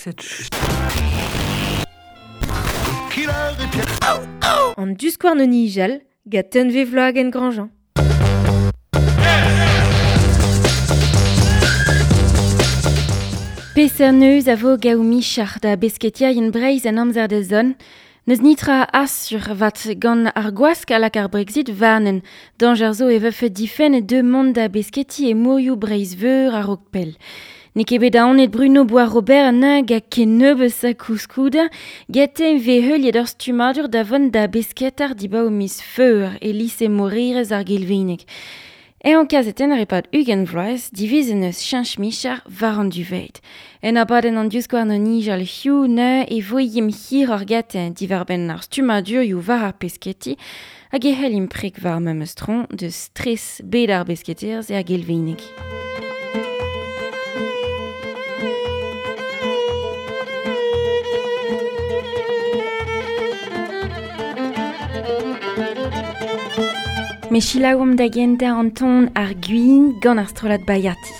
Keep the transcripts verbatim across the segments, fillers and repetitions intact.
cette An duskouarn o nijal, gant unve vloag en Grandjean. Peseurt neuz a vo gaou michar da besketiaien Breizh an amzer da zon. Neus nitra asur vat gant ar gwask a lak ar Brexit varnen. Danger zo e vefe difen e deux mont da besketi e mourioù Breizh veur a rok pell. Ne ket bet aonet Bruno Bois-Robert nag a kennebeus a kouskouda, gete ve heuliet ur stumadur da vont da besketar diba o miz feur e lise morirez ar gelvinek. E an kazetenn ar epad ugent vloaz, divizen eus cheñch michar war an duveit. En abadenn an diouzkouarn an nijal hiu ne e voyim hir ar gaten diwar-benn ar stumadurioù war ar pesketi hag e c'hellim prek war memes tron de stres bet ar besketerz e ar gelvinek. Me chilaouomp da gentañ an ton ar gwin gant ar strollad Bayati.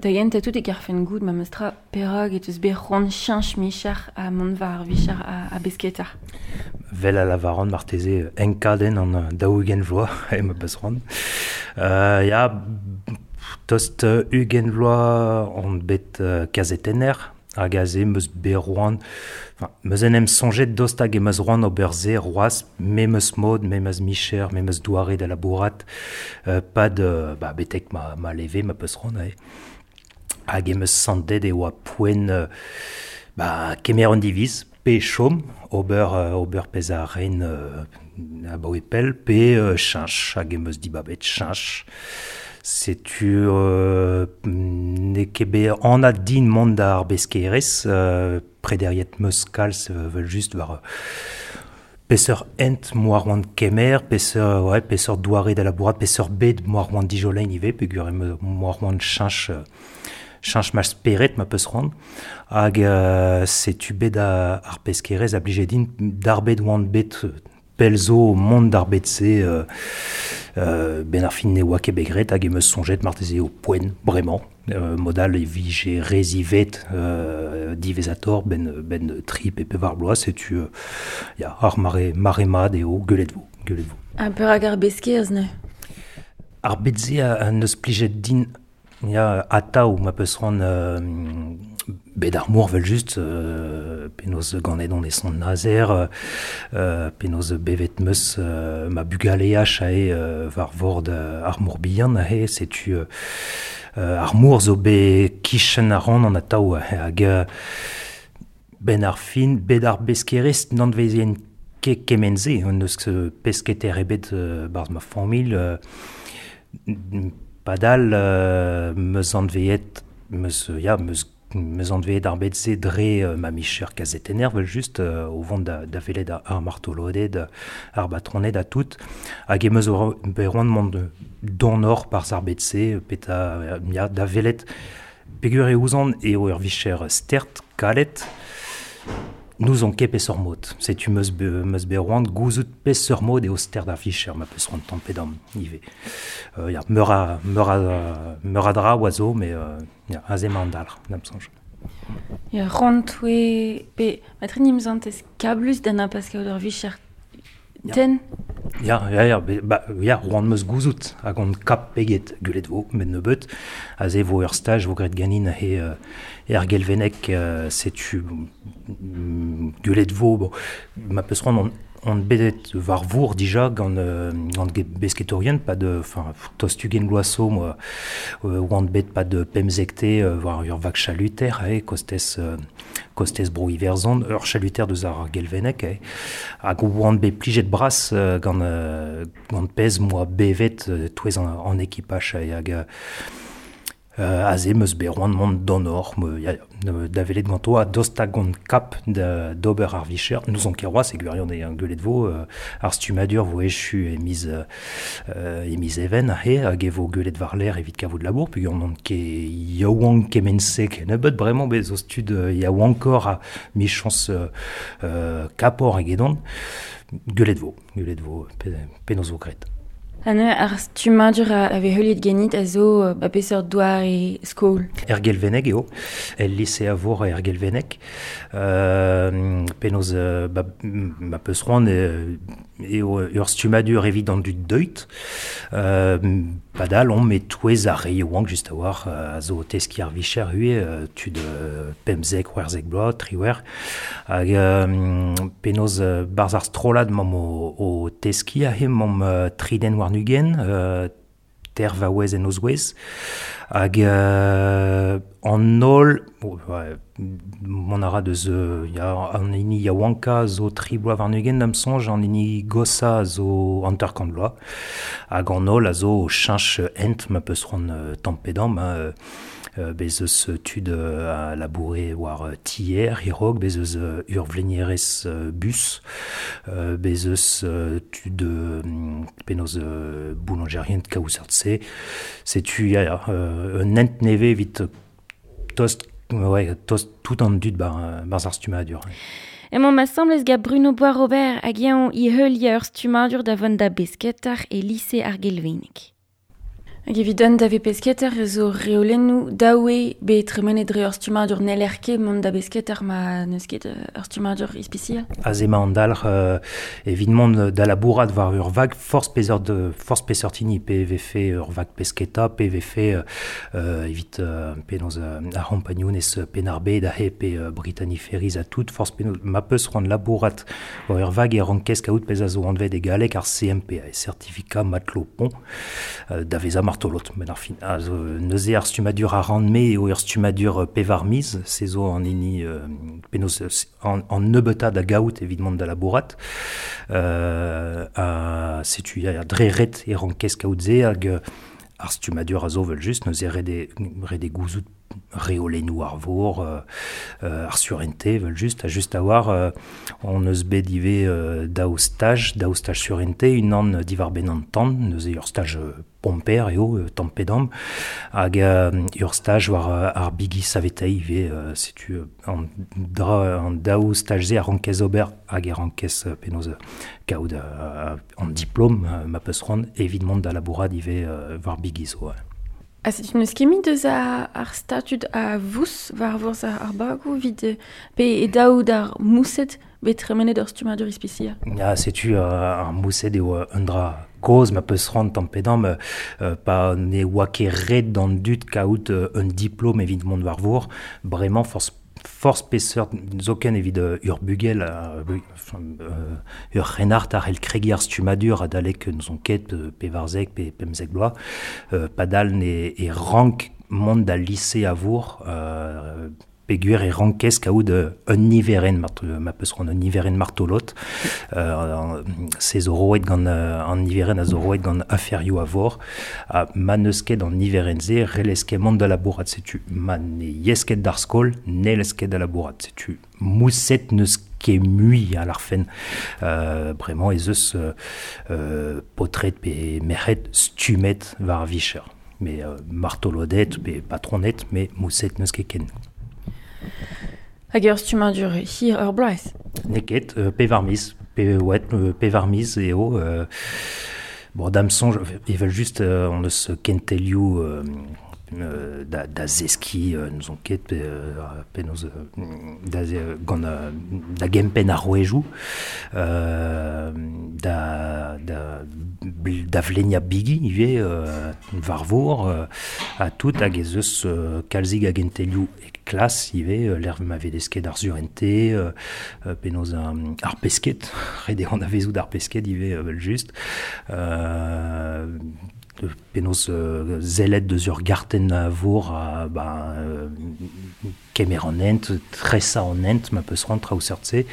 Da gentañ tout e karfen goût ma meustra perag et eus bet c'hoant cheñch michar a mont war ar vichar a, a besketar. Vel a lavaran marteze enkadenn an daou-ugent vloaz e ma peus c'hoant. Euh, ya, tost ugent vloaz on bet uh, kazetenner hag aze meus bet roan, enfin, meus en em soñjet dost hag e meus roan ober se roaz, memes mod, memes micher, memes doare da labourat, euh, pad, euh, ba, betek ma, ma leve, ma peus c'hoant, ae. Hag em eus santet e oa poent euh, ba, kemer an diviz, pe chom, ober, euh, ober pezh a ren euh, abaoe pell, pe euh, cheñch, hag em eus dibabet cheñch. Setu euh, n'eo ket bet anat din mont d'ar beskerez, euh, prederiet meus kalz euh, vel just war peseurt hent moar oant kemer, peseurt, ouais, peseurt doare da labourat, peseurt bed moar oant dijolein ivez, peogwir em moar oant cheñch, Chanch ma speret ma peus c'hoant hag euh, setu bet a, ar peskerez a blije din d'ar bet oan bet pelzo mont d'ar bet se euh, euh, ben ar fin ne oa ket bet graet hag em eus soñjet marteze o poent bremañ euh, modal e vije rezivet euh, divezator ben, ben tri pe pevar bloaz setu euh, ya, ar mare, mare mat eo guelet vo, guelet vo. Un peu hag ar beskerez ne? Ar bet se a, a neus plijet din ya atav ma peus c'hoant euh, bet ar mor vel just euh, penaos ganet on e son nazer euh, penaos bevet meus euh, ma bugaleaj ae euh, war vord ar mor bihan ae setu euh, ar mor zo bet kichen a ran an atav hag euh, ben ar fin bet ar beskerez n'anvezien ket kement-se on eus pesketer ebet euh, barz ma familh euh, Padal euh, meus anveet meus ya meus meus anveet ar bet-se dre euh, ma micher kazetenner vel just euh, o vont da, da velet ar martoloded ar batroned a tout hag e meus bet roant mont donor par ar bet-se peta ya da velet pegur e ouzon eo ur vicher stert kalet nous on ket peseurt mod. Setu meus be, meus bet roant gouzout peseurt mod eo stert ar vicher ma peus roant tamm pe damm ivez. Euh, ya, meur a, meur a, meur a dra oa zo, mais euh, ya, aze ma an dalc'h, da'm soñj. Ya, c'hoant oe pe matri nimz ez kablus da na pas kaout ur vicher ten? Ya, ya, ya, be, ba, ya, roant meus gouzout hag on kap peget gulet vo, met nebeut, aze vo ur staj vo graet ganin he euh, er gelvenek euh, setu mm, gulet vo, bon, ma peus c'hoant on, on bedet war vour dija gant, euh, gant besketorien, pas de, enfin, tost ugent bloaz moi, euh, oan bet pas de pemzekte euh, war ur vag chaluter, eh, kostez, euh, kostez bro Iverzon, ur chaluter deus ar gelvenek, eh, hag oan bet plijet bras euh, gant, euh, gant pez moa bevet euh, touez an, an ekipach, eh, hag euh, Euh, aze meus bet roant mont d'an me, ya, da velet ganto a dost hag gant kap da, d'ober ar vicher. Nous on ket roaz e gwirion e an guelet vo, euh, ar stumadur vo echu e miz, euh, e miz even ahe, hag e vo guelet war l'air evit kavout labour, peogwir n'on ket yaouank kement-se kennebeut bremañ bez zo stud euh, yaouankor a michañs euh, euh, kapor egedon. Guelet vo, guelet vo, pe, penaos vo graet. Anne, ar stumadur a, a vez heuliet ganit a zo ba peseurt doare skol? Er gelveneg eo, el lise a vor er gelveneg. Euh, penaos ba, ma peus c'hoant eo ur stumadur evit an dud deuit. Euh, padal on met touez ar re yaouank just a war a zo teski ar vicher hue tud pemzek, c'hwerzek bloaz, triwer. Hag euh, penaos barz ar strollad mam o, o teski a he mam triden war nugen, euh, ter vaouez en ozouez. Hag euh, an holl, oh, ouais, mont a ra deus, euh, ya, an hini yaouanka zo tri bloaz warn-ugent da'm soñj, an hini gosa zo hanter-kant bloaz. Hag an holl a zo cheñch hent ma peus c'hoant euh, tamm pe damm, hein, euh, bez eus tud euh, a laboure war tier, hirog, bez eus euh, ur vlenierez euh, bus, euh, bez eus euh, tud euh, penaos euh, boulangerien kaouzert-se. Setu, ya, ya, euh, un hent nevez evit tost, ouais, tost tout an dud bar, barz ar stumadur. Emañ ma semblez ga Bruno Boisrobert hag eñ i heuliañ ur stumadur da vont da besketar e lise ar Gelveneg. Hag evit an da ve pesketer zo reolennoù daoue bet tremenet dre ur stumadur n'heller ket mont da besketer ma n'eus ket ur stumadur ispisial. Aze ma an dalc'h euh, evit mont da labourat war ur vag forzh peseurt forzh peseurt hini pe vefe ur vag pesketa pe vefe euh, evit euh, penaos euh, ar c'hompagnounez Penn-ar-Bed ahe pe euh, Brittany Ferries a tout forzh penaos ma peus c'hoant labourat war ur vag e rankez kaout pezh a zo anvet e galleg ar C M P A, certificat matelot pont euh, da vezañ martolot, ben ar fin, a zo neuze ar stumadur a ran-me eo ur stumadur pevar miz, se zo an hini euh, penaos an, an nebeutad da gaout evit mont da labourat. Euh, a, setu ya, dre ret e rankez kaout se hag ar stumadur a zo vel just, neuze ret e, ret e gouzout reolennoù ar vor, euh, euh, ar surente, vel just, a just a war, euh, on eus bet ivez euh, daou staj, daou staj surente, unan divar ben an tan, neuze ur staj pomper eo, euh, tampedam, hag euh, ur staj war ar bigi savetei ivez, euh, setu an, dra, an daou staj ze a rankez ober hag e rankez euh, penaos kaout euh, an diplom euh, ma peus c'hoant evit mont da labourat ivez euh, war bigi zo. Ouais. A setu neus ket deus a, ar statud a vous war vourz ar, ar bagou vid pe e daou d'ar moused bet tremenet ur stummadur ispisial. Ya, setu uh, ar moused eo un dra koz ma peus c'hoant tampedam euh, pa ne oa ket ret d'an dud kaout euh, un diplom evit mont war vor, bremañ forz forz peseurt zoken evit uh, ur bugel uh, uh, ur c'hrennard ar el kregi ar stummadur adalek n'zon ket uh, pe varzek pe pemzek bloaz uh, padal ne e rank mont da lycée a vor uh, peogwir e rankez kaout un niveren, ma peus c'hoant un niveren martolot, euh, se zo roet gant an niveren a zo roet gant aferioù a vor, ha ma n'eus ket an niveren se, relez ket mont da labourat, setu ma ne yez ket d'ar skol, ne lez ket da labourat, setu mousset n'eus ket mui a l'arfen, euh, bremañ ez eus euh, potret pe merc'hed stumet war vicher, mais euh, martolodet pe patronet, mais mousset n'eus ket ken. Hag ur stummadur hir ur bloaz? N'eo ket, euh, pevar miz, pe, ouais, euh, pevar miz eo. Euh, bon, da'm soñj, evel just, euh, on eus kentelioù euh, euh, da, da zeski, euh, n'eus ket, pe, euh, penaos, da, gant, da gempenn ar rouejoù, euh, da, da, da vlenia bigi ivez, euh, war vor, euh, ha tout hag ez eus euh, kalzig a gentelioù e klas ivez, euh, l'erv ma vedesket ar surente, euh, penaos um, ar pesket, ret eo an avezou d'ar pesket ivez, euh, just, euh, penaos euh, zelet deus ur gartenn a vor a, ba, euh, kemer an hent, tresa an hent, ma peus c'hoant traoù seurt-se.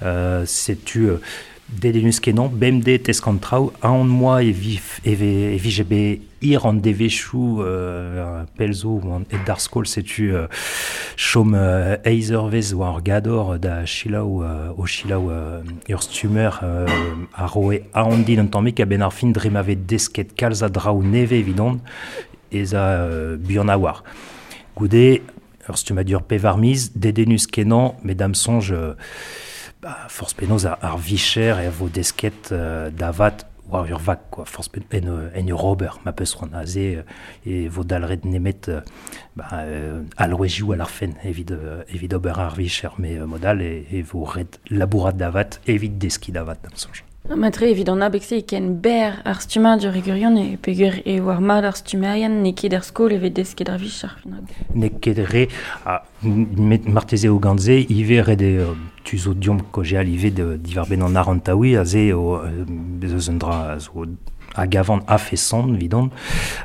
Euh, setu euh, dedennus kenañ, bemdez tesk an traoù, aon moa e vif, e ve, e vije bet hir an devezhioù euh, pell zo an et d'ar skol, setu euh, chom euh, eizh eurvezh war ar gador da selaou euh, o selaou euh, ur stummer euh, a roe aon din un tammig a-benn ar fin dre ma vez desket kalz a draoù nevez evidon ez a euh, buan a war. Goude, ur stummadur pevar miz, dedennus kenañ, met da'm soñj euh, ba, forz penaos ar, ar vicher e vo desket euh, davat war ur vag, quoi, forz pen, en, en ur ober, ma peus c'hoant aze, e vo dalret nemet euh, ba, euh, alwezhioù a l'arfen evit, euh, evit ober ar vicher, mais euh, modal e, e vo ret labourat davat evit deski davat, da'm soñj. Matre evit an abeg-se e ken ber ar stummadur e gwirion e peogwir eo ar mat ar stummerien n'eo ket ar skol evit desket ar vicher. N'eo ket re, a, met marteze o gant se, ivez ret eo tu zo diomp kaozeal ivez de, diwar-benn an arantaoui, aze eo eus un dra zo hag avant a-feson evidon,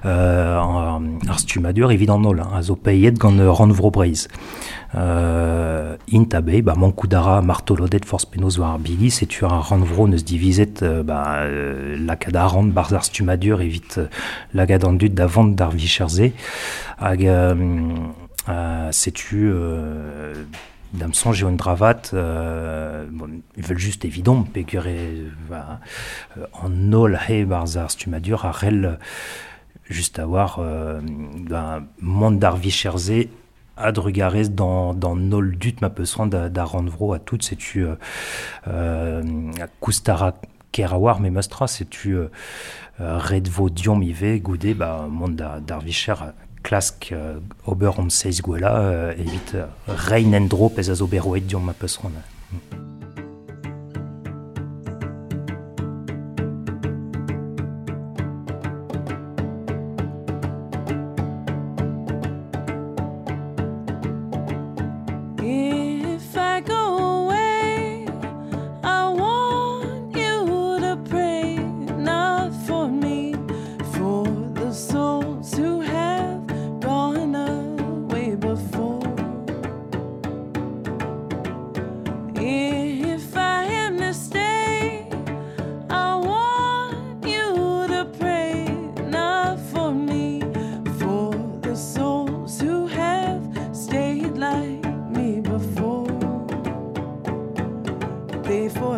euh, ar stummadur evit an holl, a zo paeet gant Rannvro Breizh. Euh, int a be, ba, mankout a ra martolodet forz penaos war ar bigi, setu ar Rannvro neus divizet euh, ba, euh, lakaat arc'hant barzh ar stummadur evit euh, lakaat an dud da vont d'ar vicher-se. Hag euh, euh, setu euh, da'm soñj eo un dravat, euh, bon, evel just evidon, peogwir e ba, an holl he barzh ar stummadur a c'hell just a war euh, ba, mont d'ar vicher-se a-drugarez d'an, d'an holl dud ma peus c'hoant da, da Rannvro a tout, setu euh, euh, koustara ker a war, me meus tra, setu euh, ret vo diomp ivez goude ba, mont da, d'ar vicher klask euh, ober om seizh gwella euh, evit euh, reiñ en-dro pezh a zo bet roet diomp ma peus c'hoant. If I go away, I want you to pray, not for me, for the souls who have gone away before.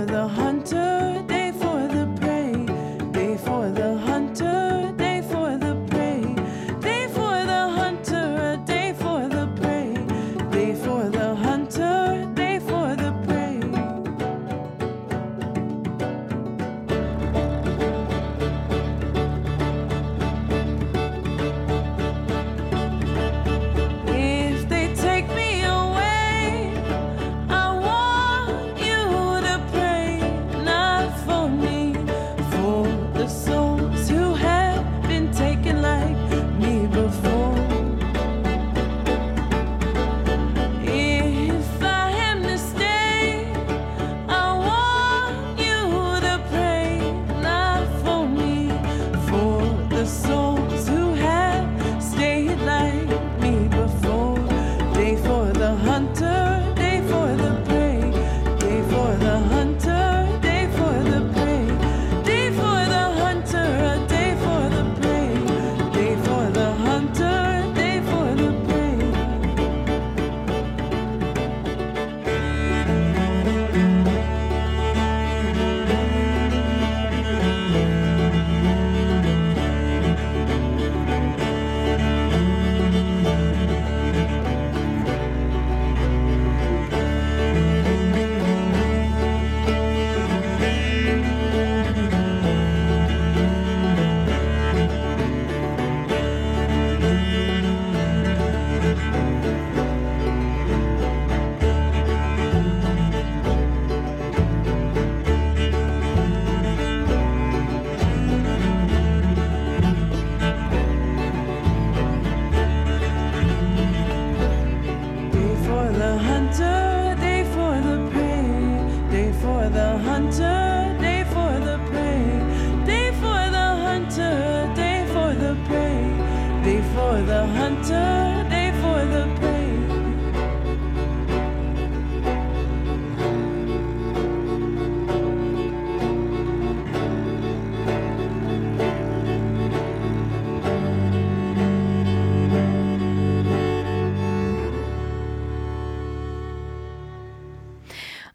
for the hunter, day for the prey. Day for the hunter, day for the prey. Day for the hunter, day for the prey. Day for the hunter, day for the prey. If they take me away, I want you to pray, not for me, for the souls who have been taken like me before. If I am to stay, I want you to pray, not for me, for the souls who have stayed like me before. Day for the hunter, day for the prey. Day for the hunter, day for the prey. Day for the hunter, day for the prey. Day for the hunter, day for the prey. Day for the hunter, day for the prey. Day for the hunter, day for the prey. Day for the hunter, day for the prey. Day for the hunter, day for the prey.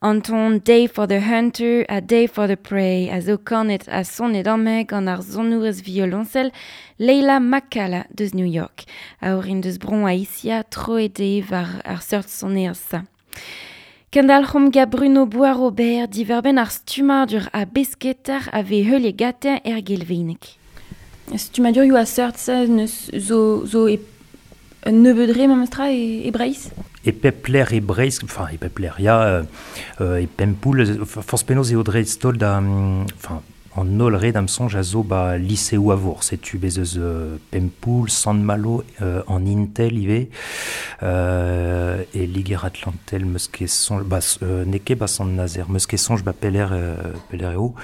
Anton Day for the Hunter a Day for the Prey a zo kanet a sonet amme gant ar sonourez violoncel Leila Makala deus New York. A orin deus bron a isia troet eo war ar seurt sonerz sa. Kendalc'hom ga Bruno Boisrobert diverben ar stumadur a besketar a ve heuliet gatin er gelvenek. Stumadur eo a seurt sa neus zo, zo e un nebeud re memestra e, e Breizh? E pep lec'h e Breizh, enfin e pep lec'h, ya, euh, euh, e Pempoull, forz penaos eo dreist-holl da, enfin, an holl re da'm soñj a zo ba liseoù a vor, setu bez eus euh, Pempoull, Sant-Malo, euh, an Intel ivez, euh, e Liger-Atlantel meus ket soñj, ba, euh, n'eo ket ba Sant-Nazer, meus ket soñj ba peler, euh, peler eo,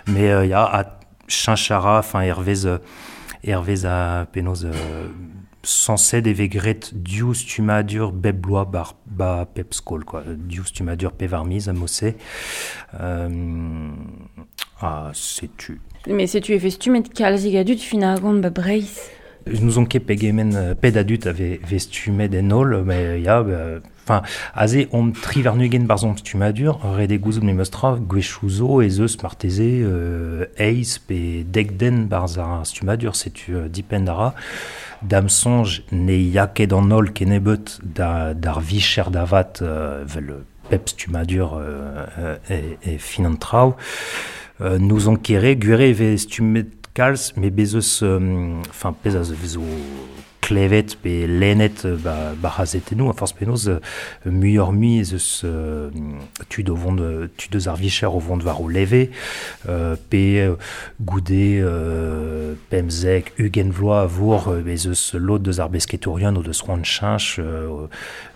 mais euh, ya, a cheñch a ra, enfin, hervez, euh, hervez a penaos euh, sañset e vez graet div stummadur bep bloaz bar, ba pep skol, quoi. Div stummadur pevar miz a mod-se. Euh, ah, setu. Mais setu e vez stummet kalzik a dud fin ar gont ba Breizh? N'ouzon ket pegement euh, pet a dud a vez, vez stummet en holl, mais ya, bah, enfin, aze omp tri warn-ugent barzh hon stummadur, ret eo gouzout memes tra, gwechoù zo ez eus marteze euh, eizh pe dek den barzh ar stummadur, setu euh, dipend a ra. Da'm soñj ne ya ket an holl kennebeut da, d'ar vicher da vat euh, vel pep stummadur euh, euh, e, e fin an traoù. Euh, n'ouzon ket re, gwir eo e vez stummet kalz, met bez eus, euh, enfin, pezh a vezo klevet pe lennet ba, ba c'hazetennoù, a forzh penaos euh, muioc'h mui ez eus euh, tud o vont, tud eus ar vicher o vont war o leve, euh, pe euh, goude euh, pemzek, ugent vloaz a vor, euh, bez eus lod deus ar besketourien o deus c'hoant cheñch, euh,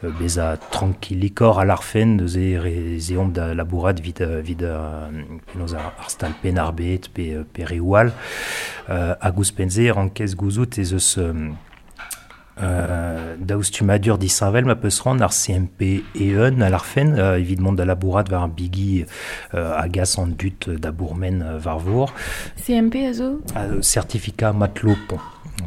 euh, bezañ tranquillikoc'h a larfen deus e re ez eomp da labourat evit, euh, evit euh, penaos ar, ar stal Penn-ar-Bed pe, euh, pe reoù all. Euh, hag ouzhpenn-se rankez gouzout ez eus euh, Euh, daou stummadur disheñvel ma peus c'hoant ar C M P eeun a l'arfen, euh, evit mont da labourat war ar bigi euh, a gas an dut da bourmen euh, war vor. C M P a zo? A, certificat matelot pont.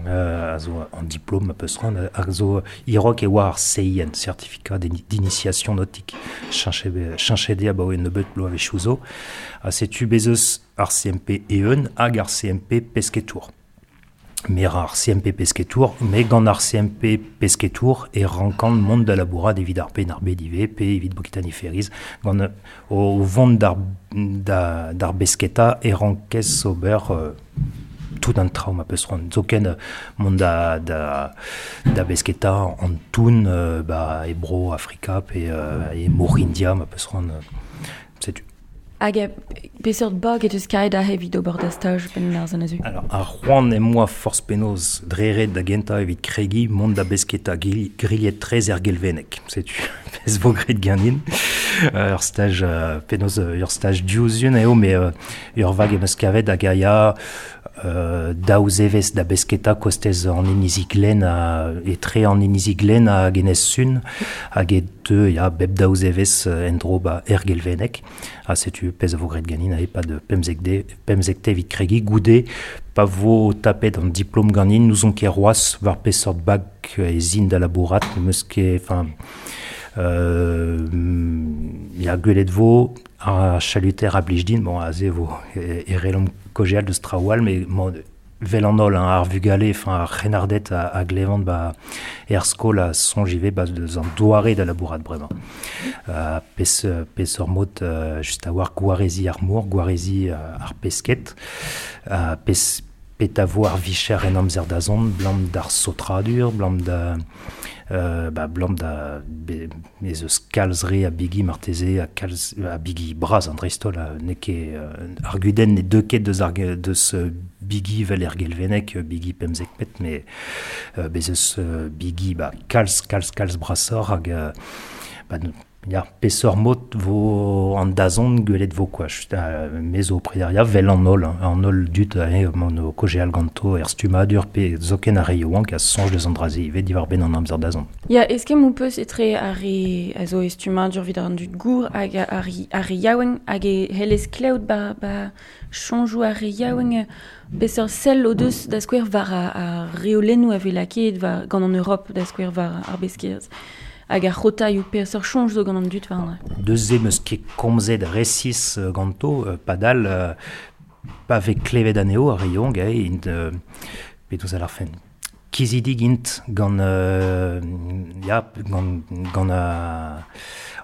Euh, a zo an diplôme ma peus c'hoant, a zo irok e oa ar C I N, certificat d'initiation nautique. Cheñchet eo abaoe nebeut bloaz a zo. A setu bez eus ar C M P eeun hag ar C M P pesketour. Mer ar C M P pesketour, me gant ar C M P pesketour e rankan mont da labourat evit ar pen ar B D V, pe evit Bokitani Ferries, gant o vont d'ar, da, d'ar besketa e rankez ober euh, tout an traoù ma peus c'hoant. Zoken mont da, da, da besketa an toun, euh, ba, e bro Afrika pe euh, e mor India ma peus c'hoant, euh, setu. Hag a peseurt bag et eus kaet a evit ober da staj ben ar zan azu? Alors, ar c'hoant em boa forzh penaos dreret da gentañ evit kregi mont da besketa grilhet trez er gelvennek. Setu, pezh vo graet ganin. Euh, ur staj, euh, penaos, ur staj diouzhun eo, mais euh, ur vag em eus kavet hag a ya euh, daou zevez da besketa kostez an Inizi-Glen a, etre an Inizi-Glen hag Enez Sun, hag e deu ya bep daou zevez en-dro ba er gelvennek. Ha setu pezh a vo graet ganin ae pa de pemzek de, pemzek te evit kregi goude pa vo tapet an diplôme ganin n'ouzon ket roaz war peseurt bag e zin da labourat, meus ket, enfin, euh, ya gwelet vo ar chaluter a blij din, bon, aze vo e, e relom kojeal deus traoù all, mais bon, vel an holl, hein, ar vugale, enfin, ar c'hrennarded a, a glevant ba er skol a soñj ivez ba deus an doare da labourat bremañ. Euh, pes, pes ur mod, euh, just a war gwarezi ar mor, gwarezi euh, ar pesket, euh, pes, pet a vo ar vicher en amzer da zont, blam d'ar saotradur, blam da, euh, ba, blam da, be, ez eus kalz re a bigi marteze, a kalz, a bigi bras an dreist-holl, a n'eo ket, euh, ar gudenn ne deu ket deus ar ge-, deus, euh, bigi vel er gelvennek, bigi pemzek pet, mais, euh, bez eus, euh, bigi, ba, kalz, kalz, kalz brasoc'h hag, euh, ba, ya, peseurt mod vo an dazont gwelet vo, quoi. Just, euh, me zo prederia vel an holl, hein, an holl dud, eh, mont o kojeal ganto er stummadur pe zoken ar re yaouank a soñj deus an dra-se ivez diwar benn an amzer dazont. Ya, eske m'ho peus etre ar re a zo e stummadur evit an dud gour hag ar re, ar re yaouank hag e hellez kleout ba, ba soñjoù ar re yaouank peseurt sell o deus da skouer war ar, ar reolennoù a vez lakaet war, gant an Europe da skouer war ar beskerezh. Hag ar c'hotaioù peseurt soñj zo gant an dud war an dra. Deus ze meus ket komzet resis, euh, ganto, euh, padal, euh, pa vez klevet anezho ar re yaouank, eh, int, euh, penaos a l'arfen. Kizidig int gant, euh, ya, gant, gant a,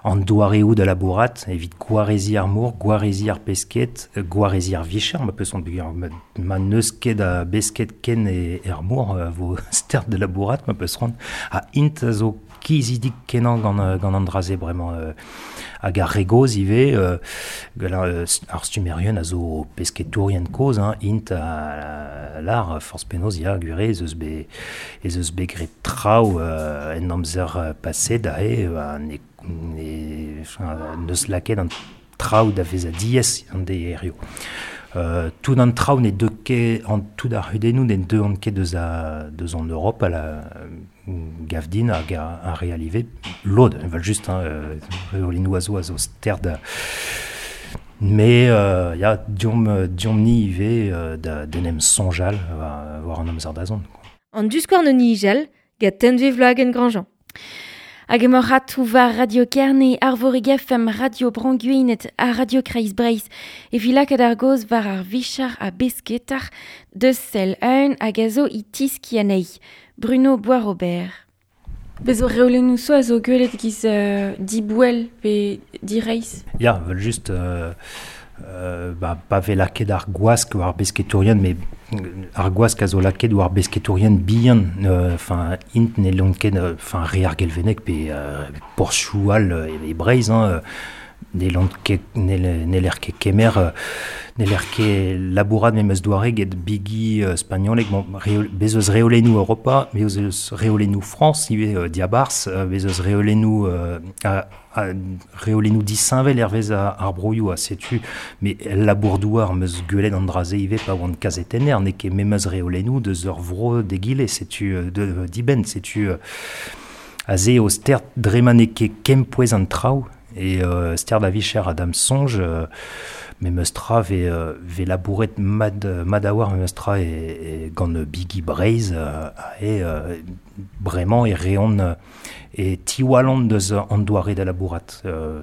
an doareoù da labourat, evit gwarezi ar mor, gwarezi ar pesket, gwarezi ar vicher, ma peus an buger, ma, ma n'eus ket a besket ken e, er mor, euh, vo stert de labourat, ma peus c'hoant, a int a zo kizidig kenañ gant, euh, gant an dra-se bremañ, euh, hag ar re gozh ivez, euh, gant ar, euh, ar stummerien a zo pesketourien kozh, hein, int a, a lar, forzh penaos, ya, gwir ez eus bet, ez eus bet graet traoù, euh, en amzer, euh, paset, aze, euh, ne, ne, enfin, n'eus lakaet an traoù da vezañ diaes an deerioù. Euh, tout an traoù ne deu ket, an tout ar c'hudennoù ne deuont ket deus a, deus an Europe a la gavdin hag a, a re alive lod, evel just, hein, euh, reolennoù a zo a zo sterd. Mais, euh, ya, diomp, diomp ni ivez, euh, da, d'en em soñjal war, war an amzer da zont, quoi. An diskouarn an nijal, gant Tenve Vloagen Grandjean. Hag emañ ratou war Radio Kerne, Arvorig F M, Radio Bro-Gwened ha Radio Kreiz Breizh. E vi lakaat ar goz war ar vichar a besketar deus sell eun hag a zo i tiski anezhi. Bruno Boisrobert. Bez o reolennoù zo a zo gwelet giz, euh, dibouel pe direizh. Ya, vel just, euh, euh, ba, pa vez lakaet ar gwask war besketourien, mais ar gwask a zo lakaet war besketourien bihan, euh, enfin, int ne lont ket, euh, enfin, re ar gelvennek pe, euh, porzhioù all, euh, e Breizh, hein, euh, Ne ket ne ket kemer ne l'er ket labourat memes doare get bigi uh, spagnolek bon bez eus reolennoù Europa bez eus reolennoù France ivez uh, diabars uh, bez eus reolennoù uh, a, a, reolennoù disheñvel hervez ar broioù a setu mais labour-douar meus gwelet an draze ivez pa oan kazetenner n'eo ket memes reolennoù deus ur vro d'egile setu de dibenn setu uh, aze o ster dre ma n'eo ket kempouez an traoù et euh, ster da vicher Adam Songe euh, memes tra ve, euh, ve labouret mad, mad a war memes tra e, e gant Biggie Breiz euh, e euh, bremañ e reont e tiwalon deus an doare da labourat. Euh,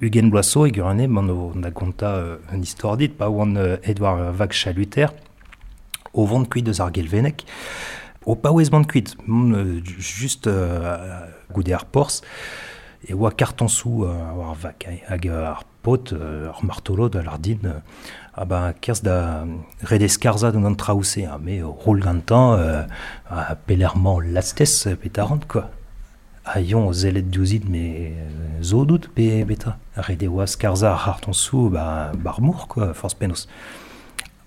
Ugen Bloasso e gurane man o da gonta euh, un istor dit pa oan euh, Edouard Vag Chaluter o vont kuit deus ar gelvenek o paouez mont kuit euh, juste euh, goude ar porz e oa karton sou euh, war vak hag ar pot euh, ar martolo da lardin euh, a ba kerz da redeskarza d'an traouse hein, me roul gantan euh, a pelerman lastez petarant quoi a yon zelet diouzit me zo dout pe beta rede oa skarza ar karton sou ba barmour quoi force penos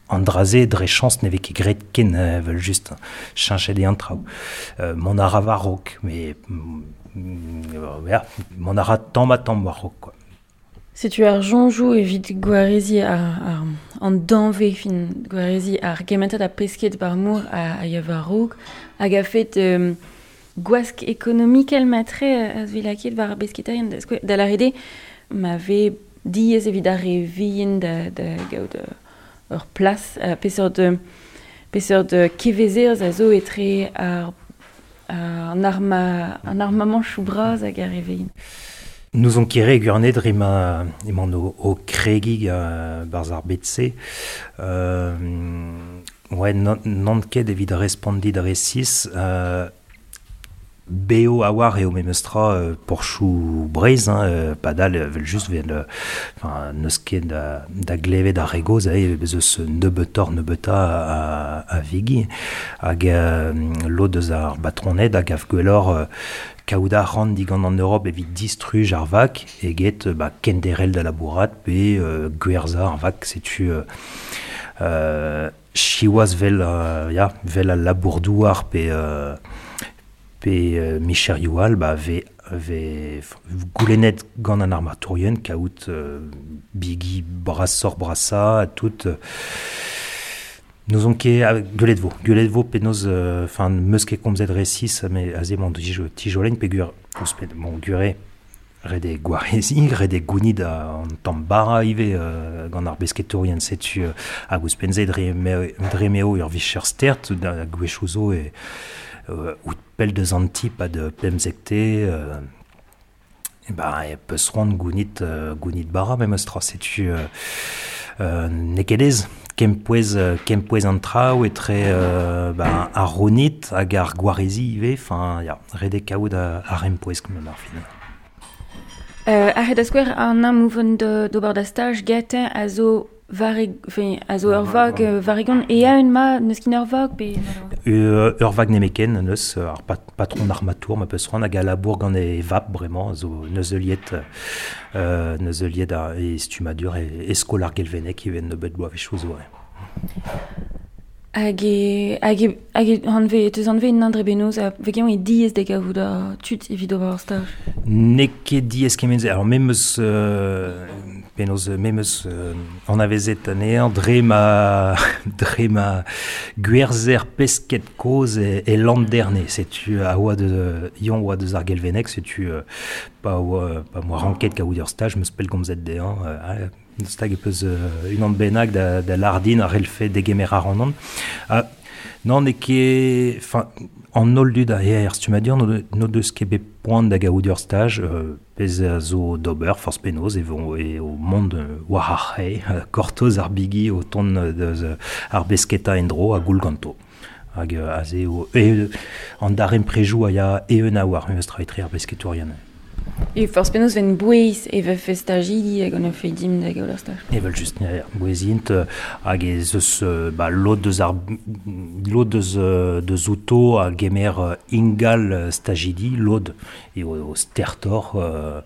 Andraze dre chance n'eve ket graet ken vel just cheñchet e an traoù. Euh, mon a ra war-raok, mais mm, mon a ra tamm ha tamm war-raok quoi. Setu ar jonjoù evit gwarezi ar, ar, an danve fin gwarezi ar gementad a pesket barmour a, a ya war-raok hag a fet euh, gwask ekonomikel matre a zvilaket war ar besketarien da, da la rede ma ve diez evit ar re vihan da, da gaout ur plas uh, peseurt de peseurt de kevezer a zo etre ar an arma an armament chou bras hag ar re vihan. Nous on kere gurnet dre ma emañ o, o kregi uh, barz ar bet-se. Euh, ouais, non ket evit respondi dre sis. Euh, beo a war eo memes tra euh, porchou Breiz, hein, euh, padal vel just vel, enfin, neus ket da, da glevet ar regoz, eh, bez eus nebeutor nebeuta a, a vigi, hag euh, lod eus ar batroned hag av gwellor euh, kaout a ran digant an Europe evit distruj ar vak, eget ba, kenderel da labourat pe euh, gwerza ar vak, setu euh, euh, chiwaz vel, euh, ya, vel al labourdouar pe euh, pe euh, micherioù all, ba, ve, ve goulennet gant an armatourien kaout euh, bigi brasor brasa tout euh, nous on ket gwelet vo gwelet vo penaos enfin euh, meus ket komzet resis mais aze mon tijolen pe gur ouzhpenn mon gure rede gwarezi rede gounid an tamm bara ivez euh, gant ar besketourien setu euh, hag ouzhpenn-se dre dre meo ur vicher stert da gwechoù zo e euh, out pell deus an ti pa de pemzekte euh, e ba e peus roant gounit euh, gounit bara memes tra setu euh, euh, n'eo ket aes kempouez kempouez an traoù etre euh, ba, ar ronit hag ar gwarezi ivez enfin ya ret eo kaout ar empouez gant ar fin. Euh, ar da skouer an amouvent d'ober da staj getañ a zo vareg, enfin, a zo ur vag varegon e a un ma neus kin ur vag pe euh, ur vag nemeken neus ar pat, patron armatour ma peus roant hag a labour gant e vap bremañ zo neus liet euh, neus liet a e stumadur e, e skol ar gelvenek ivez nebeut bloavezhioù zo. Hag e, hag e, hag e hanve, teus hanve un andre benoz a vegeon e diez da gavout a tud evit ober ar staj. N'eo ket diez kement-se. Alors memes euh, penaos memes euh, anavezet anezhañ dre ma dre ma gwerzer pesket kozh e, e Landerne. Setu a oa de yon oa deus ar gelvenek, setu euh, pa oa pa moa ranket kaout ur staj, meus pellgomzet dezhañ. Euh, stag e peus euh, unan bennak da, da lardin ar relfe degemer ar an an. Ah, non, n'eo ket... Enfin, an holl dud a er stumadur no, no deus ket bet poan da gaout ur staj, euh, pezh a zo d'ober, forz penaos, e vo e o mont war ar c'hae, gortoz ar bigi o tont deus ar besketa en-dro a goul ganto. Hag aze o... E, an daremprejoù a ya eeun a war, memes tra etre ar besketourien. E forz penaos ven bouez e vefe stajidi hag an efe dim da gaout ar staj. Evel just, ya, ya, bouezint hag ez eus ba, lod deus ar lod deus, deus outo a gemer ingal stajidi, lod e o, o stertor euh,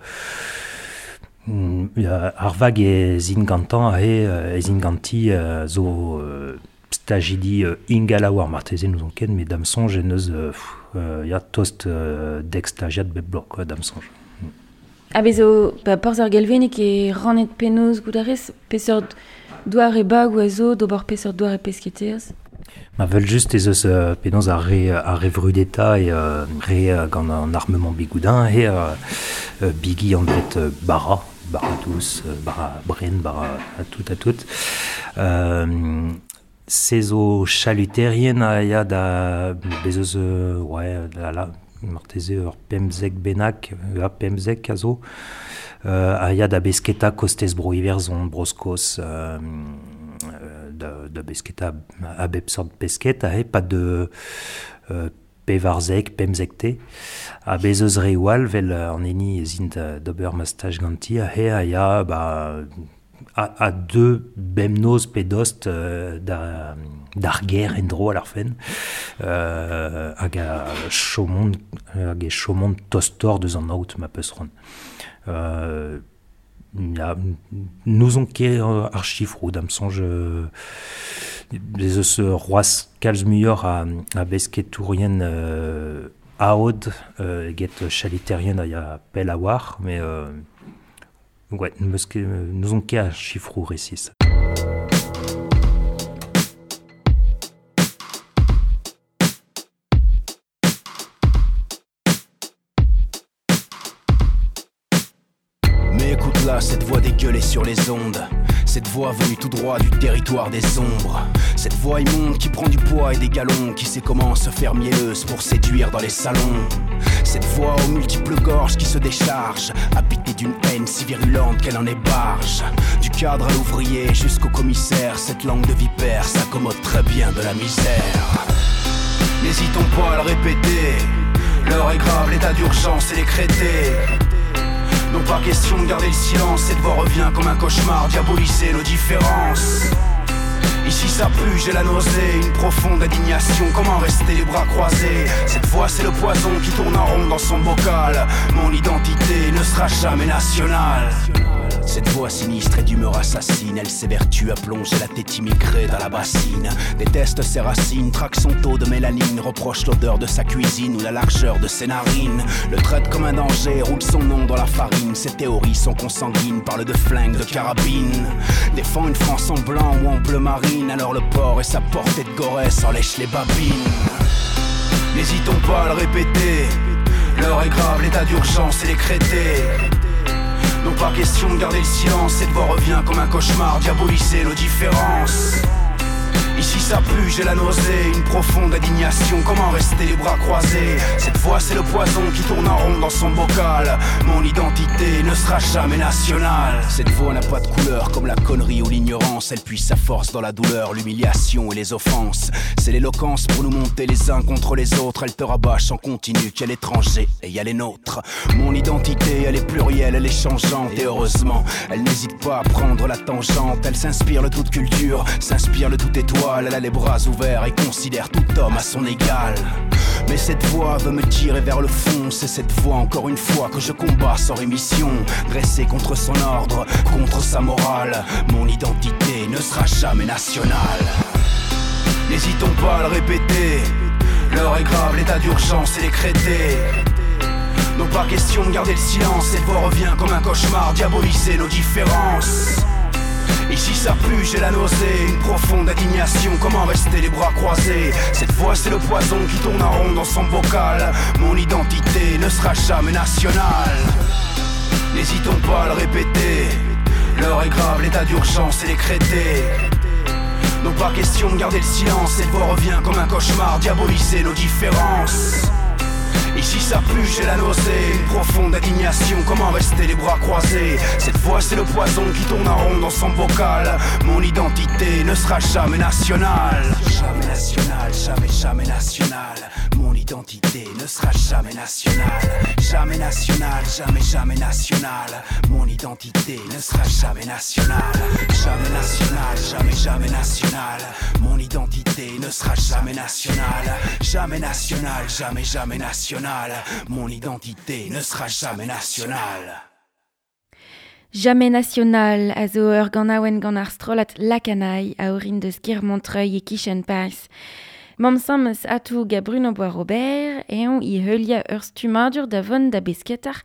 Mm, ar vag e zin gantan he e zin ganti uh, zo uh, stajidi uh, ingala war marteze nous on ken, met dam sonj en eus uh, uh, ya tost uh, dek stagiad bep bloaz quoi, dam sonj. Mm. A bezo, ba, porzh ar Gelveneg e rannet penaos gout a rez, peseurt doare bag ou a zo, d'ober peseurt doare pesketerez? Ma vel just ez eus uh, penaos ar re, ar re vrudeta e uh, re uh, gant an armement bigoudin he uh, uh, bigi anvet uh, bara, bara dous, bara bren, bara a tout a tout. Euh, se zo chaluterien a ya da bez eus euh, ouais, da la, marteze ur pemzek bennak, a pemzek a zo, euh, a ya da besketa kostez bro Iwerzhon, Bro-Skos, euh, da, da besketa a bep sort pesket, a he, pas de euh, pevarzek, pemzekte, a bez eus re oal, vel an eni ez int d'ober ma staj ganti, a he a ya, ba, a, a deux bemnoz pe dost euh, da, d'ar ger en dro a ar fen, euh, hag a chomont, hag e chomont tostor deus an aout ma peus ron. Euh, ya, nous on ket ar chifrou dam sonj euh, ez eus roaz kalz muioc'h a, a besketourien euh, aod euh, eget chaliterien a ya pell a war, mais euh, ouais, neus ket, nous on ket ar chifrou resis. Mais écoute là, cette voix dégueulée sur les ondes, cette voix venue tout droit du territoire des ombres, cette voix immonde qui prend du poids et des galons, qui sait comment se faire mielleuse pour séduire dans les salons. Cette voix aux multiples gorges qui se décharge, habitée d'une haine si virulente qu'elle en est barge. Du cadre à l'ouvrier jusqu'au commissaire, cette langue de vipère s'accommode très bien de la misère. N'hésitons pas à le répéter, l'heure est grave, l'état d'urgence est décrété. Non pas question de garder le silence, cette voix revient comme un cauchemar, diaboliser nos différences. Ici ça pue, j'ai la nausée, une profonde indignation, comment rester les bras croisés? Cette voix c'est le poison qui tourne en rond dans son bocal, mon identité ne sera jamais nationale. Cette voix sinistre et d'humeur assassine, elle s'évertue à plonger la tête immigrée dans la bassine. Déteste ses racines, traque son taux de mélanine, reproche l'odeur de sa cuisine ou la largeur de ses narines. Le traite comme un danger, roule son nom dans la farine. Ses théories sont consanguines, parle de flingue, de carabine. Défend une France en blanc ou en bleu marine, alors le port et sa portée de Gorée s'en lèche les babines. N'hésitons pas à le répéter, l'heure est grave, l'état d'urgence est décrété. Non pas question de garder le silence, cette voix revient comme un cauchemar, diaboliser nos différences. Ici ça pue, j'ai la nausée, une profonde indignation, comment rester les bras croisés? Cette voix c'est le poison qui tourne en rond dans son bocal, mon identité ne sera jamais nationale. Cette voix n'a pas de couleur comme la connerie ou l'ignorance, elle puise sa force dans la douleur, l'humiliation et les offenses. C'est l'éloquence pour nous monter les uns contre les autres, elle te rabâche en continu qu'il y a l'étranger et il y a les nôtres. Mon identité elle est plurielle, elle est changeante et heureusement, elle n'hésite pas à prendre la tangente. Elle s'inspire de toute culture, s'inspire de toute étoile. Elle a les bras ouverts et considère tout homme à son égal. Mais cette voix veut me tirer vers le fond. C'est cette voix encore une fois que je combats sans rémission. Dressée contre son ordre, contre sa morale, mon identité ne sera jamais nationale. N'hésitons pas à le répéter, l'heure est grave, l'état d'urgence est décrété. Non pas question de garder le silence, cette voix revient comme un cauchemar, diaboliser nos différences. Ici ça pue, j'ai la nausée, une profonde indignation, comment rester les bras croisés? Cette voix c'est le poison qui tourne en rond dans son bocal, mon identité ne sera jamais nationale. N'hésitons pas à le répéter, l'heure est grave, l'état d'urgence est décrété. Non pas question de garder le silence, cette voix revient comme un cauchemar, diaboliser nos différences. Ici ça pue, j'ai la nausée, une profonde indignation, comment rester les bras croisés? Cette voix c'est le poison qui tourne en rond dans son bocal, mon identité ne sera jamais nationale. Jamais nationale, jamais, jamais nationale, mon identité ne sera jamais nationale. Jamais nationale, jamais, jamais nationale, mon identité ne sera jamais nationale. Jamais nationale, jamais, jamais nationale, mon identité ne sera jamais nationale. Jamais nationale, jamais, jamais nationale, mon identité ne sera jamais nationale. Jamais National a zo ur ganaouen gant ar strollad Lakanai a orin deus ker Montreuil e kichen Paris. Mam sammes atou ga Bruno Bois-Robert eon i heulia ur stumadur da vont da besketar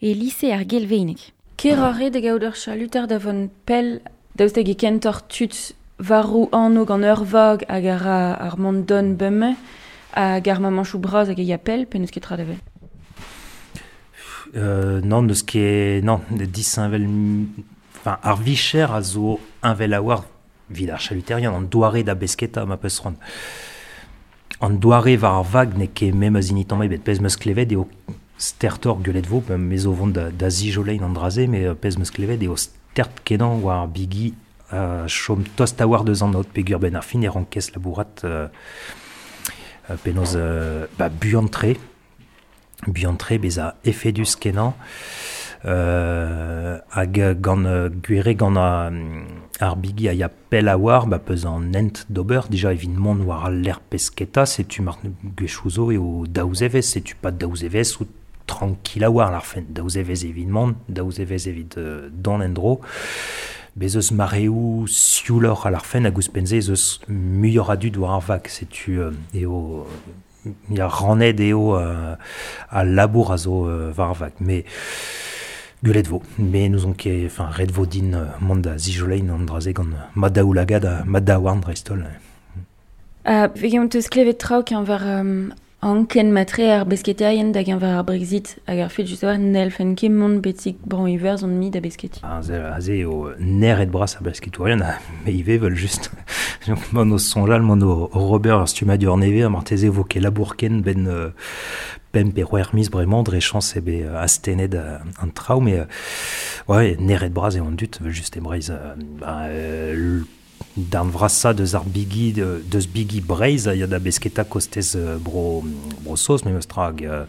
e lise ar gelveinek. Ker ar re da gaout ur chaluter da vont pell daoust hag e kentor tud varou anno gant ur vag hag ar ar mont don beume hag ar mamanchou braz hag e ya pell pe n'eus ket tra da vel. Euh, non, neus ket, non, disheñvel, enfin, ar vicher a zo heñvel a war vid ar chaluterian, an doare da besketa ma peus c'hoant. An doare war ar vag n'eo ket mem a zinit tamm ebet, pezh meus klevet eo stertor guelet vo, me zo vont da, da zijolein an draze, mais pezh meus klevet eo stert kenan war ar bigi uh, chom tost a war deus an aot pegur ben ar fin e rankez labourat euh, euh, penaos euh, ba buan-tre, buan-tre beza efedus kenan euh, hag gant gwere gant a, ar bigi a ya pell a war ba peus an hent d'ober dija evit mont war al lec'h pesketa setu mar gwechouzo eo daouzevez setu pas daouzevez ou tranquille a war ar fen daouzevez evit mont daouzevez evit euh, don endro bez eus mareoù siouloc'h a ar fen hag ouzhpenn-se ez eus muioc'h a dud war ar vag setu euh, eo ya rannet eo euh, a labour a zo euh, war ar vag mais guelet vo mais nous on ket enfin ret vo din euh, mont da zijolein an draze gant madaoulagad ha madaouarn dreist-holl. Uh, Vegeont eus klevet traoù keñver um, anken matre ar besketerien da geñver ar Brexit hag ar fet just war n'hellfen ket mont betik bran iwerzhon mi da besketi. Aze, aze eo neret bras ar besketourien, me ivez vel just. Donc, mont o soñjal, mont o Robert ar stummadur nevez, marteze vo ket labour ken ben euh, pemp pe c'hwec'h miz bremañ dre chañs eo bet astennet euh, an traoù, mais euh, ouais, neret bras eo an dud, vel just e Breizh. Euh, ba, euh, Darn vrasa deus ar bigi, de, deus bigi Breizh a ya da besketa kostez euh, bro, bro Saoz, memes tra hag, euh,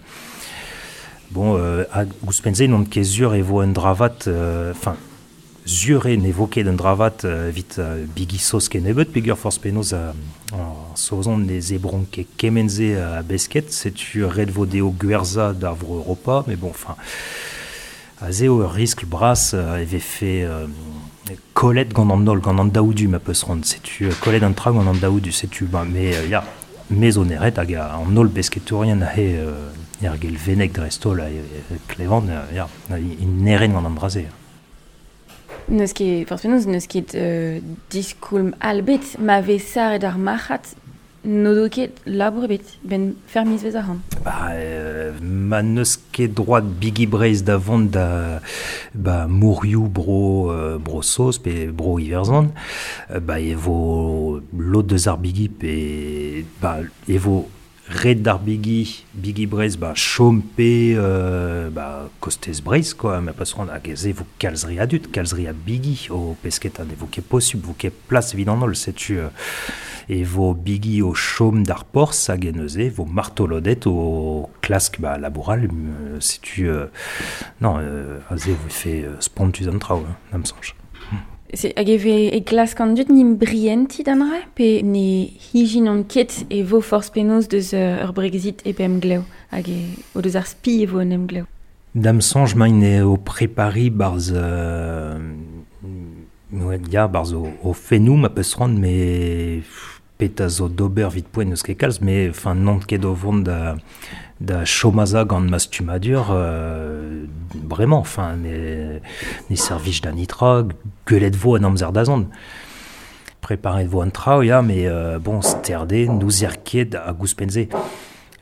bon, euh, hag ouzhpenn-se n'on ket sur e vo un dravat, enfin, euh, sur eo ne vo ket un dravat euh, evit euh, bigi Saoz kennebeut, peogwir forzh penaos euh, an Saozon ne zebront ket kement-se a besket, setu ret vo dezho gwerzhañ d'ar vro Europa, mais bon, enfin, aze eo ur riskl bras euh, e vefe euh, kollet gant an holl, gant an daoudu ma peus c'hoant, setu kollet an tra gant an daoudu, setu, ba, mais euh, ya, me zo neret hag an holl besketourien aze euh, er gelveneg dreist-holl a e, klevan, euh, ya, in neren gant an draze. N'eus ket, forzh penaos, n'eus ket euh, diskoulm all bet, ma vez saret ar marc'had n'o do ket labour ebet, ben fermiz vez ar an. Ba, euh, ma n'eus ket droit bigi Breizh da vont da ba, mourioù bro, euh, bro Saoz pe bro Iwerzhon, euh, ba, e vo lod deus ar bigi pe ba, e vo ret d'ar bigi, bigi Breizh, ba, chom pe euh, ba, kostez Breizh, quoi, ma pas c'hoant hag ez e vo kalz re a dud, kalz re a bigi o pesketa, ne vo ket posubl, vo ket plas evit an holl, setu euh, e vo bigi o chom d'ar porzh hag en neuze, vo martolodet o klask ba, laboural, euh, setu euh, non, euh, aze vo fe euh, spontus an traoù, hein, da'm soñj. Se, hag e ve e klask an dud nim brienti d'an ra, pe ne hijin ket e vo forzh penaos deus euh, ur Brexit e pe emglev, hag e, o deus ar spi e vo un emglev. Da'm soñj maint eo prepari barzh euh, ouais, ya, barzh o, o fennoù ma peus c'hoant, mais petra zo d'ober vit poent n'eus ket kalz, mais enfin n'on ket o vont da, da chomaza gant ma stummadur, euh, bremañ, enfin, ne, ne servij da nitra, guelet vo an amzer da zont. Preparet vo an traoù, ya, mais euh, bon, sterde, n'ouzer ket hag ouzhpenn-se.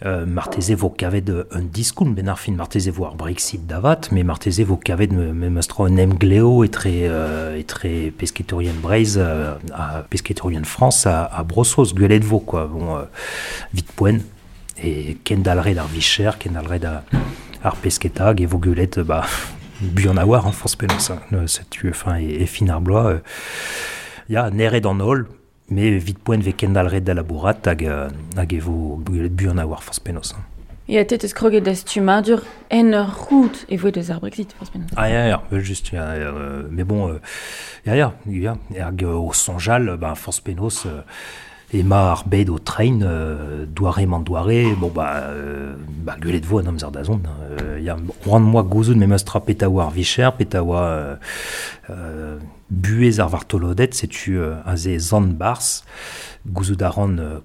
Euh, marteze vo kavet un diskoulm ben ar fin, marteze vo ar Brexit davat, mais marteze vo kavet me, memes tra un emgleo etre, euh, etre pesketourien Breizh euh, ha pesketourien France a, a Bro-Saoz, gwelet vo, quoi. Bon, euh, vit poent, e kendalret ar vicher, kendalret ar, ar pesketa, hag e vo gwelet, ba, buan a war, hein, forzh penaos, hein, setu, enfin, e, e fin ar bloaz, euh, ya, neret an holl, mais vit poent ve kendalret da labourat hag, hag e vo gwelet buan a war forzh penaos. Hein. Ya, te teus kroget da stummadur en ur rout e voe deus ar Brexit, forzh penaos. Ah, ya, ya, juste, ya, euh, mais bon, euh, ya, ya, ya, hag o soñjal, ba, forzh penaos, euh, Ema ar bed o train, euh, doare man doare, bon ba, euh, ba gwelet vo an amzer da zont. Euh, ya roan moa gouzout me meus tra peta oa ar vicher, peta oa euh, euh, buez ar vartolodet, setu euh, aze zan bars, gouzout a ran euh,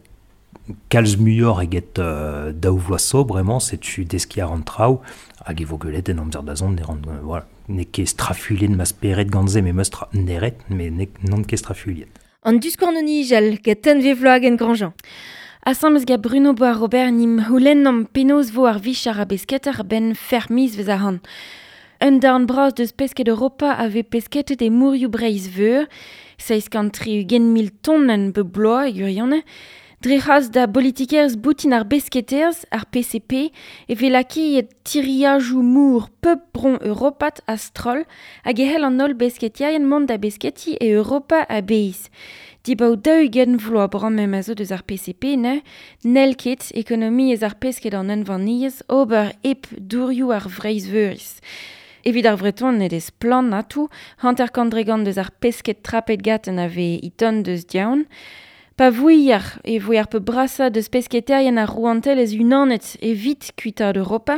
kalz muioc'h eget euh, daou vloaz so, bremañ, setu deski ar an traoù, hag e vo gwelet en amzer da zont, ne ran, euh, voilà, n'eo ket strafuilhet ma spered gant se, me meus tra neret, mais n'eo n'on ket strafuilhet. An diskouarn nijal get tenve vloag en Grandjean. Asambles gant Bruno Bois-Robert nim houlennomp penaos vo ar vicher a besketer ben fermiz vez ar han. Un darn bras deus pesket Europa a vez pesketet e mourioù Breizh Veur, seizh kant tri-ugent mil tonenn be bloaz e gwirionez. Dre c'hras da politikerezh boutin ar besketerz, ar P C P, e vez lakaet tiriajoù mour pep bron europat a stroll hag e c'hell an holl besketierien mont da besketi e Europa a-bezh. Dibaoe daou-ugent vloaz bremañ ma zo deus ar P C P, ne, n'hell ket ekonomiezh ar pesked an unvaniezh ober hep dourioù ar Vreizh-Veuriz. Evit ar Vreton ned eus splann atou, hanter-kant dregont deus ar pesked trapet gaten a vez iton deus diaon. Pa vouiar e voe ar pe brasa deus pesketerien ar rouantelezh unanet evit kuitaat Europa,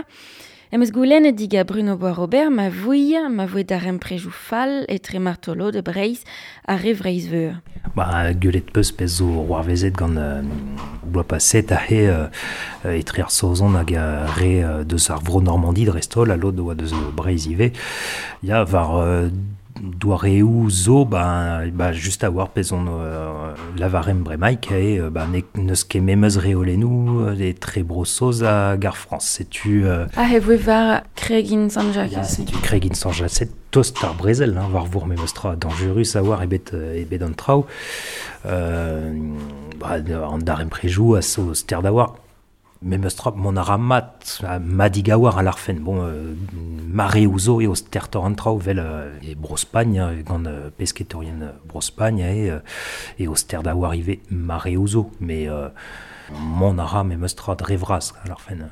em eus goulennet diga Bruno Bois-Robert ma vouiar ma voe daremprejoù fall etre martolod de Breizh ha re Vreizh-Veur. Ba, gwelet peus pezh zo roarvezet gant euh, bloaz paset a he, euh, etre ar Saozon hag ar re, euh, deus ar vro Normandie dreist-holl, ha lod oa deus Breizh ivez. Ya, war, euh, doareoù zo, ba, ba, just a war pezh on, euh, lavarem bremaik, e, ba, ne, n'eus ket memes reolennoù, euh, etre Bro-Saoz hag ar Frañs. Setu, euh, Ah, e voe war Kregin Saint-Jacques. Ya, setu Kregin Saint-Jacques, c'est tost ar brezel, hein, war vour memes tra dangerus a war ebet, euh, ebet an traoù. Euh, ba, an daremprejoù a zo ster da war. Memes tra, mon a ra mat, a madig a war a l'arfen. Bon, euh, mare ouzo eo stertor an traoù vel, euh, e Bro-Spagn, hein, gant, euh, pesketorien, euh, Bro-Spagn, e, euh, eo ster da war ive mare ouzo. Mais, euh, mon a ra memes tra dre vras a l'arfen.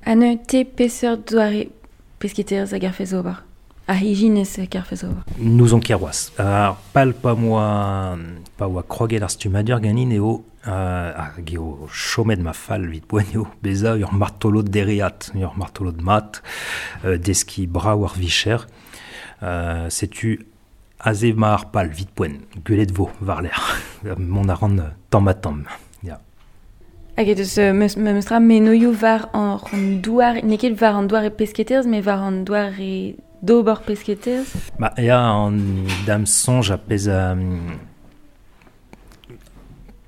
Ha ne te peseurt doare pesketerez hag ar fez ober? A hijinez hag ar fez ober? Nous on keroaz. Ar pal pa moa, pa oa kroget ar stumadur ganin eo, euh, hag eo chomet ma fall vit poent eo beza ur martolod dereat, ur martolod mat, euh, deski brav ar vicher. Euh, setu aze ma ar pal vit poent, gwelet vo war l'air. Mont a ran tamm ha tamm. Ya. Hag e deus, euh, meus, meus tra menoioù war an, an douar, n'eo ket war an douar e pesketerez, mais war an douar e d'ober pesketerez? Ba, ya, an dam soñj a pezh, euh,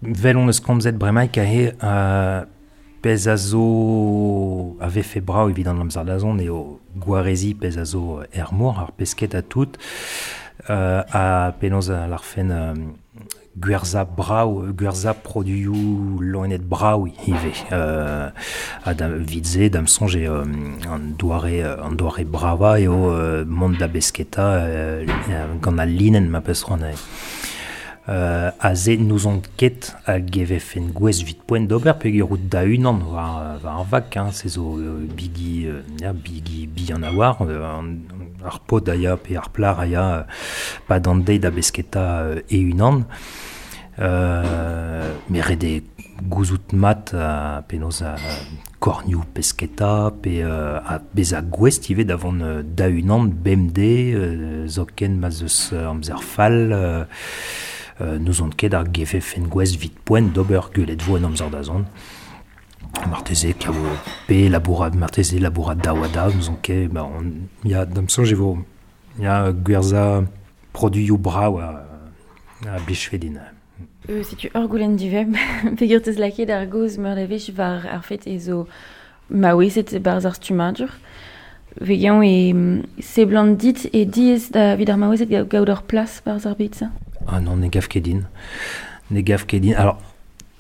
vel on eus komzet bremaik aze, euh, pezh a zo a vefe brav evit an amzer da zont eo gwarezi pezh a zo er mor, ar pesket a tout, euh, a penaos a l'arfen, euh, gwerza brav, gwerza produioù loened brav ivez. Euh, a da vidze, dam soñj eo, euh, an doare, an doare brava eo, euh, mont da besketa, euh, gant al linenn ma peus c'hoant eo. Euh, aze n'ouzon ket hag e vefen gwez vit poent d'ober peogwir out da unan war, war ar vak, hein, se zo, euh, bigi, euh, ya, bigi bihan a war, euh, an, ar pod a ya pe ar plar a ya, euh, pa d'an deiz da besketa, euh, e unan. Euh, me ret eo gouzout mat a penaos a kornioù pesketa pe, euh, a bezañ gouest ivez da vont, euh, da unan bemdez, euh, zoken ma zeus, euh, amzer fall, euh, euh, n'ouzon ket ar gevefen gwez vit poent d'ober gwelet vo an amzer da zont. Marteze kavo pe labourat, marteze labourat daouada, n'ouzon ket, ba, on, ya, da'm soñj e vo, ya, gwerza produioù brav a, a blichfedin. Euh, setu ur goulenn divem, peogwir teus lakaet ar gaoz meur da wech war ar fet e zo maouezet barzh ar stummadur. Vegañ e seblant dit e diaes da evit ar maouezed ga-, gaout ur plas barzh ar bed-se? Ah non, ne gav ket din. Ne gav ket din. Alors,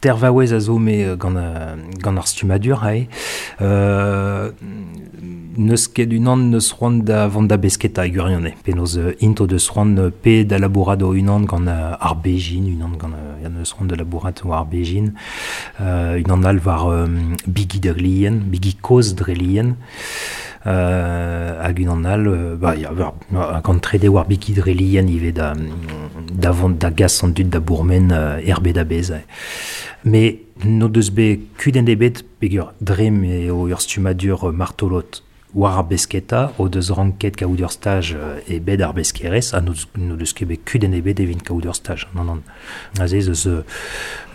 tervaouez a zo me, euh, gant, euh, gant ar stummadur, ae. Euh, n'eus ket unan neus c'hoant da vont da besketa e gwirionez. Penaos, euh, int o deus c'hoant, euh, pe da labourat o unan gant, euh, ar bejin, unan gant, euh, ya neus c'hoant da labourat war ar bejin. Euh, unan all war, euh, bigi drelien, bigi kozh drelien. Euh, hag unan all, euh, ba, ya, war, ba, gant trede war bigi drelien ivez da, da da vont da gas an dud da bourmen uh, erbe da bez. Me no deus be kudenn ebet peger dre eo ur stummadur martolot war ar besketa o deus ranket kaout ur staj e bed ar beskerez ha no, no deus ket bet kudenn ebet evit kaout ur staj. Non, non. Aze eus uh,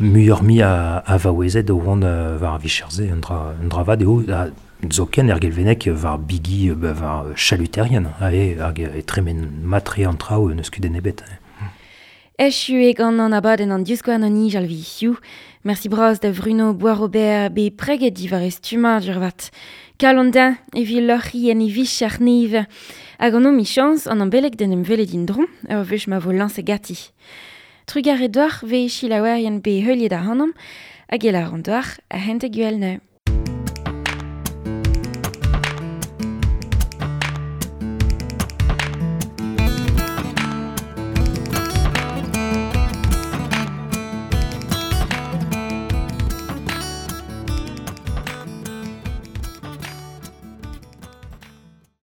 muioc'h mi a, a vaouezed o vont uh, war ar vicherze un dra, un dra vat eo a, zoken er gelvenek war bigi ba, war chaluterien ae, hag e tremen matre an traoù neus kudenn ebet. Echu e gant an abadenn an diouskouarn an nijal vi hiziv. Merci bras da Bruno Boisrobert be preget diwar e stummadur vat. Kalon din evit loc'hi en e vicher neve. Hag an o michans an ambelek den em velet din dron, ur wech ma vo lañs gati. Trugar e doar ve chilaouerien be heuliet ar hanam, hag el ar an doar a hent e gwell.